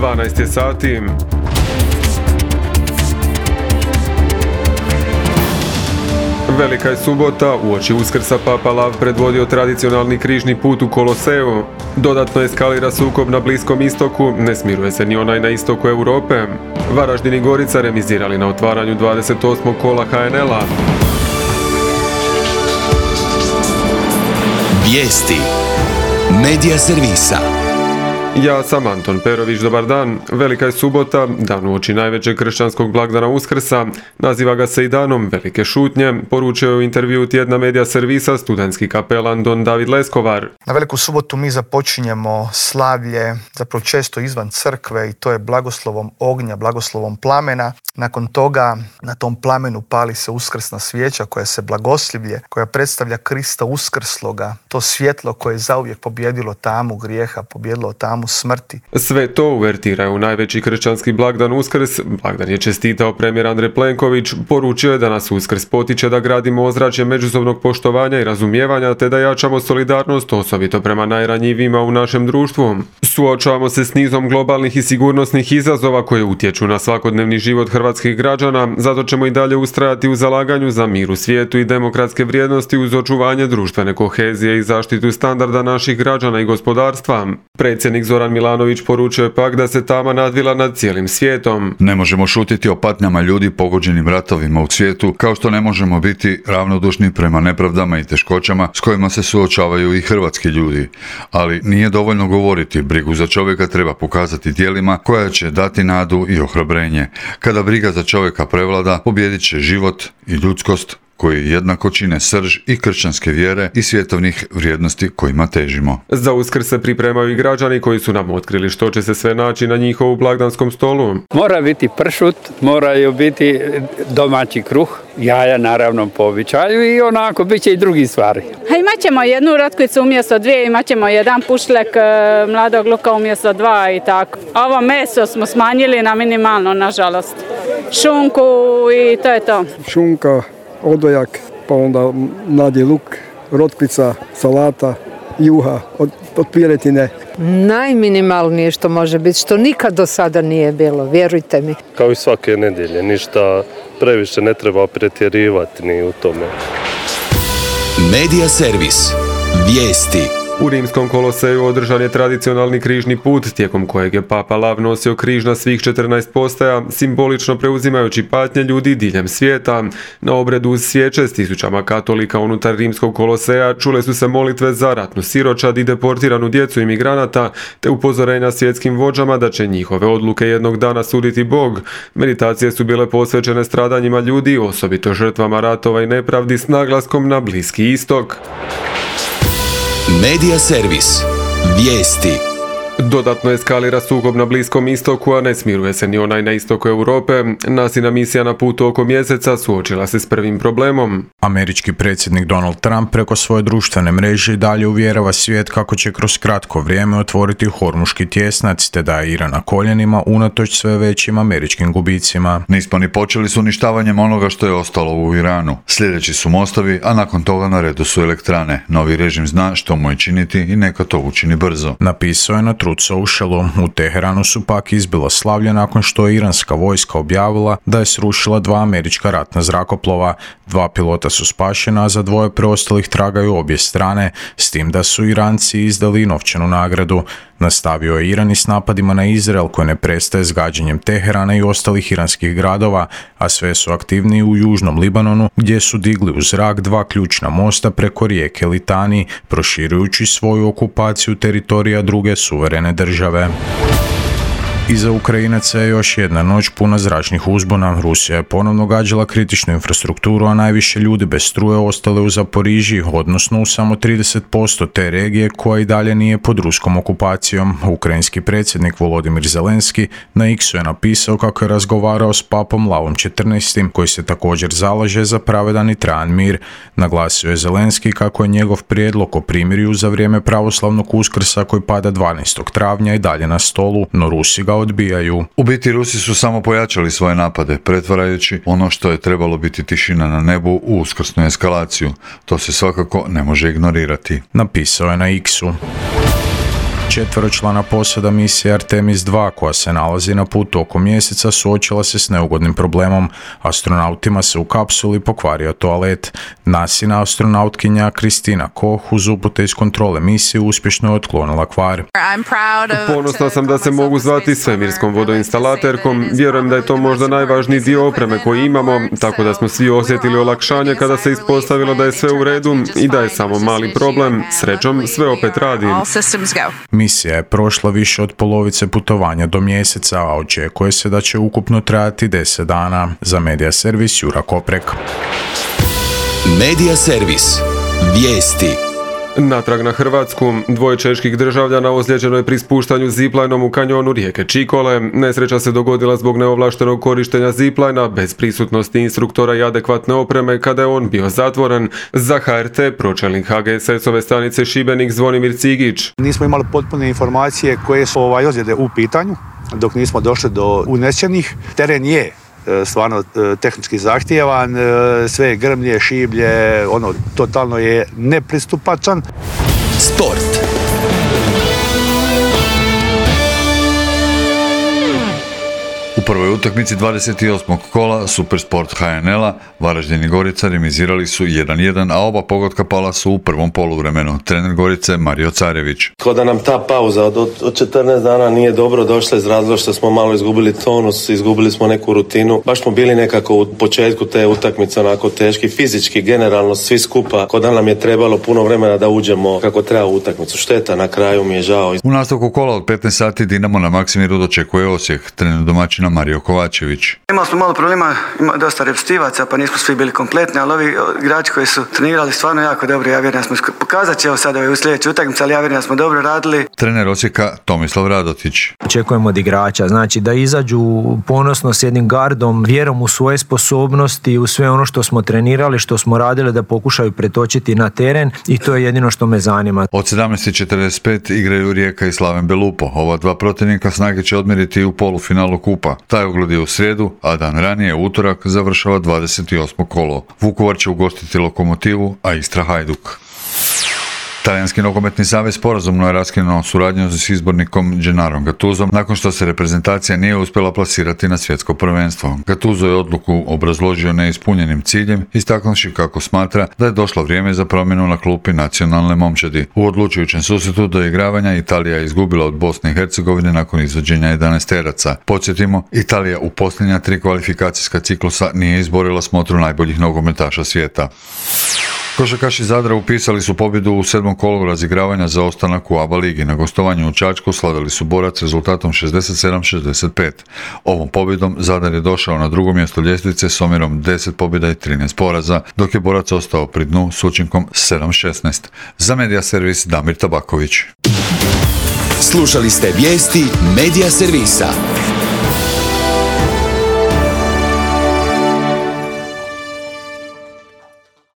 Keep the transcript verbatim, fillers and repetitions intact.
dvanaest je sati. Velika je subota, uoči Uskrsa Papa Lav predvodio tradicionalni križni put u Koloseu. Dodatno eskalira sukob na Bliskom istoku, ne smiruje se ni onaj na istoku Europe. Varaždin i Gorica remizirali na otvaranju dvadeset osmog kola ha en el-a. Vijesti Medija servisa. Ja sam Anton Perović, dobar dan. Velika je subota, dan uoči najvećeg kršćanskog blagdana Uskrsa. Naziva ga se i danom velike šutnje, poručio je u intervju tjedna Medija servisa studentski kapelan don David Leskovar. Na veliku subotu mi započinjemo slavlje, zapravo često izvan crkve, i to je blagoslovom ognja, blagoslovom plamena. Nakon toga na tom plamenu pali se uskrsna svijeća koja se blagoslivlje, koja predstavlja Krista uskrsloga, to svjetlo koje je zauvijek pobjedilo tamu grijeha, pobjedilo tamu smrti. Sve to uvertira u najveći kršćanski blagdan Uskrs. Blagdan je čestitao premijer Andrej Plenković, poručio je da nas Uskrs potiče da gradimo ozračje međusobnog poštovanja i razumijevanja, te da jačamo solidarnost, osobito prema najranjivijima u našem društvu. Suočavamo se s nizom globalnih i sigurnosnih izazova koje utječu na svakodnevni život hrvatskih građana, zato ćemo i dalje ustrajati u zalaganju za mir u svijetu i demokratske vrijednosti uz očuvanje društvene kohezije i zaštitu standarda naših građana i gospodarstva. Predsjednik Zoran Milanović poručio je pak da se tama nadvila nad cijelim svijetom. Ne možemo šutiti o patnjama ljudi pogođenim ratovima u svijetu, kao što ne možemo biti ravnodušni prema nepravdama i teškoćama s kojima se suočavaju i hrvatski ljudi. Ali nije dovoljno govoriti, brigu za čovjeka treba pokazati djelima koja će dati nadu i ohrabrenje. Kada briga za čovjeka prevlada, pobijedit će život i ljudskost, koji jednako čine srž i kršćanske vjere i svjetovnih vrijednosti kojima težimo. Za Uskrs se pripremaju i građani koji su nam otkrili što će se sve naći na njihovu blagdanskom stolu. Mora biti pršut, moraju biti domaći kruh, jaja naravno po običaju i onako bit će i drugi stvari. A imat ćemo jednu rotkvicu umjesto dvije, imat ćemo jedan pušlek mladog luka umjesto dva i tako. Ovo meso smo smanjili na minimalno, nažalost. Šunku i to je to. Šunka, odojak, pa onda mladi luk, rotkvica, salata, juha od, od piletine. Najminimalnije što može biti, što nikad do sada nije bilo, vjerujte mi. Kao i svake nedjelje, ništa previše ne treba pretjerivati ni u tome. Medija servis. Vijesti. U Rimskom Koloseju održan je tradicionalni križni put, tijekom kojeg je Papa Lav nosio križ na svih četrnaest postaja, simbolično preuzimajući patnje ljudi diljem svijeta. Na obredu uz svijeće s tisućama katolika unutar Rimskog Koloseja čule su se molitve za ratnu siročad i deportiranu djecu imigranata, te upozorenja svjetskim vođama da će njihove odluke jednog dana suditi Bog. Meditacije su bile posvećene stradanjima ljudi, osobito žrtvama ratova i nepravdi, s naglaskom na Bliski istok. Medija servis. Vijesti. Dodatno eskalira sukob na Bliskom istoku, a ne smiruje se ni onaj na istoku Europe. Nasina misija na putu oko mjeseca suočila se s prvim problemom. Američki predsjednik Donald Trump preko svoje društvene mreže i dalje uvjerava svijet kako će kroz kratko vrijeme otvoriti Hormuški tjesnac, te da je Iran na koljenima unatoč sve većim američkim gubicima. Nismo ni počeli s uništavanjem onoga što je ostalo u Iranu. Sljedeći su mostovi, a nakon toga na redu su elektrane. Novi režim zna što mu je činiti i neka to učini brzo. Napisao je na Truth Socialu. U Teheranu su pak izbila slavlje nakon što je iranska vojska objavila da je srušila dva američka ratna zrakoplova. Dva pilota su spašena, a za dvoje preostalih tragaju obje strane, s tim da su Iranci izdali novčanu nagradu. Nastavio je Iran i s napadima na Izrael koji ne prestaje s gađanjem Teherana i ostalih iranskih gradova, a sve su aktivniji u južnom Libanonu gdje su digli u zrak dva ključna mosta preko rijeke Litani, proširujući svoju okupaciju teritorija druge suverene države. Iza Ukrajinaca je još jedna noć puna zračnih uzbuna. Rusija je ponovno gađala kritičnu infrastrukturu, a najviše ljudi bez struje ostale u Zaporižiji, odnosno u samo trideset posto te regije koja i dalje nije pod ruskom okupacijom. Ukrajinski predsjednik Volodimir Zelenski na X-u je napisao kako je razgovarao s papom Lavom četrnaestim, koji se također zalaže za pravedan i trajan mir. Naglasio je Zelenski kako je njegov prijedlog o primirju za vrijeme pravoslavnog Uskrsa koji pada dvanaestog travnja i dalje na stolu, no Rusi ga odbijaju. U biti Rusi su samo pojačali svoje napade, pretvarajući ono što je trebalo biti tišina na nebu u uskrsnu eskalaciju. To se svakako ne može ignorirati. Napisao je na X-u. Četveročlana posada misije Artemis dva, koja se nalazi na putu oko mjeseca, suočila se s neugodnim problemom. Astronautima se u kapsuli pokvario toalet. NASIna astronautkinja Kristina Koch uz upute iz kontrole misije uspješno je otklonila kvar. Ponosna sam da se mogu zvati svemirskom vodoinstalaterkom. Vjerujem da je to možda najvažniji dio opreme koji imamo, tako da smo svi osjetili olakšanje kada se ispostavilo da je sve u redu i da je samo mali problem. Srećom, sve opet radi. Misija je prošla više od polovice putovanja do mjeseca, a očekuje se da će ukupno trajati deset dana. Za Medija servis Jura Koprek. Medija servis. Vijesti. Natrag na Hrvatsku, dvoje čeških državljana ozlijeđeno je pri spuštanju ziplajnom u kanjonu rijeke Čikole. Nesreća se dogodila zbog neovlaštenog korištenja ziplajna bez prisutnosti instruktora i adekvatne opreme kada je on bio zatvoren. Za H R T pročelnik H G S S-ove stanice Šibenik Zvonimir Cigić. Nismo imali potpune informacije koje su ovaj ozljede u pitanju dok nismo došli do unesrećenih. Teren je stvarno tehnički zahtjevan, sve je grmlje, šiblje, ono, totalno je nepristupačan. Sport. U prvoj utakmici dvadeset osmog kola Supersport H N L-a Varaždin i Gorica remizirali su jedan jedan, a oba pogotka pala su u prvom poluvremenu. Trener Gorice Mario Carević. Kao da nam ta pauza od, od četrnaest dana nije dobro došla iz razloga što smo malo izgubili tonus, izgubili smo neku rutinu. Baš smo bili nekako u početku te utakmice onako teški, fizički, generalno svi skupa. Kao da nam je trebalo puno vremena da uđemo kako treba u utakmicu. Šteta, na kraju mi je žao. U nastavku kola od petnaest sati Dinamo na Maksimiru dočekuje Osijek. Trener domaćina Mario Kovačević. Imali smo malo problema, ima dosta repstivaca, pa nismo svi bili kompletni, ali ovi igrači koji su trenirali stvarno jako dobro, ja vjerujem da smo pokazat će evo sada u sljedećoj utakmici, ali ja vjerujem da smo dobro radili. Trener Osijeka Tomislav Radotić. Očekujemo od igrača, znači da izađu ponosno s jednim gardom, vjerom u svoje sposobnosti, u sve ono što smo trenirali, što smo radili, da pokušaju pretočiti na teren i to je jedino što me zanima. Od sedamnaest i četrdeset pet igraju Rijeka i Slaven Belupo. Ova dva protivnika snage će odmjeriti u polufinalu kupa. Taj ogled je u srijedu, a dan ranije, utorak, završava dvadeset osmo kolo. Vukovar će ugostiti Lokomotivu, a Istra Hajduk. Talijanski nogometni savez sporazumno je raskinuo suradnju s izbornikom Gennarom Gattusom nakon što se reprezentacija nije uspjela plasirati na svjetsko prvenstvo. Gattuso je odluku obrazložio neispunjenim ciljem, istaknuvši kako smatra da je došlo vrijeme za promjenu na klupi nacionalne momčadi. U odlučujućem susretu do igravanja Italija je izgubila od Bosne i Hercegovine nakon izvođenja jedanaesteraca. Podsjetimo, Italija u posljednja tri kvalifikacijska ciklusa nije izborila smotru najboljih nogometaša svijeta. Košarkaši Zadra upisali su pobjedu u sedmom kolu razigravanja za ostanak u A B A ligi. Na gostovanju u Čačku slavili su Borac rezultatom šezdeset sedam šezdeset pet. Ovom pobjedom Zadar je došao na drugo mjesto ljestvice s omjerom deset pobjeda i trinaest poraza, dok je Borac ostao pri dnu s učinkom sedam šesnaest. Za Medija servis Damir Tabaković. Slušali ste vijesti Medija servisa.